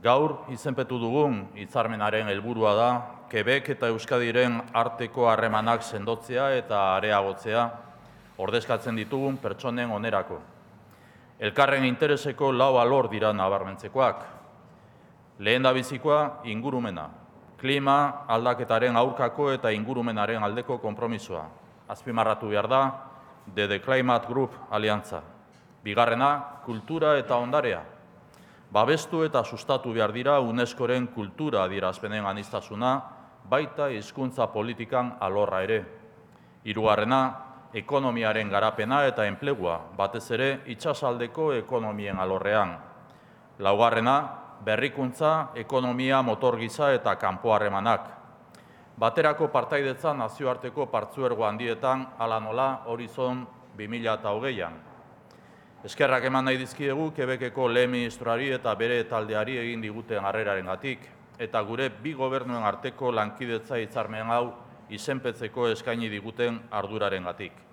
Gaur izenpetu dugun hitzarmenaren helburua da Quebec eta Euskadiren arteko harremanak sendotzea eta areagotzea ordezkatzen ditugun pertsonen onerako. Elkarren intereseko lau alor dira nabarmentzekoak. Lehendabizikoa ingurumena, klima aldaketaren aurkako eta ingurumenaren aldeko konpromisoa. Azpimarratu behar da The Climate Group aliantza. Bigarrena, kultura eta ondarea. Babestu eta sustatu behar dira UNESCOren kultura adierazpenen aniztasuna, baita hizkuntza politikan alorra ere. Hirugarrena, ekonomiaren garapena eta enplegua, batez ere itsasaldeko ekonomien alorrean. Laugarrena, berrikuntza, ekonomia, motor gisa eta kanpo harremanak. Baterako partaidetza nazioarteko partzuergo handietan hala nola Horizon 2020an. Eskerrak eman nahi dizkiegu Quebeceko lehen ministroari eta bere taldeari egin diguten harrerarengatik eta gure bi gobernuen arteko lankidetza hitzarmen hau izenpetzeko eskaini diguten ardurarengatik.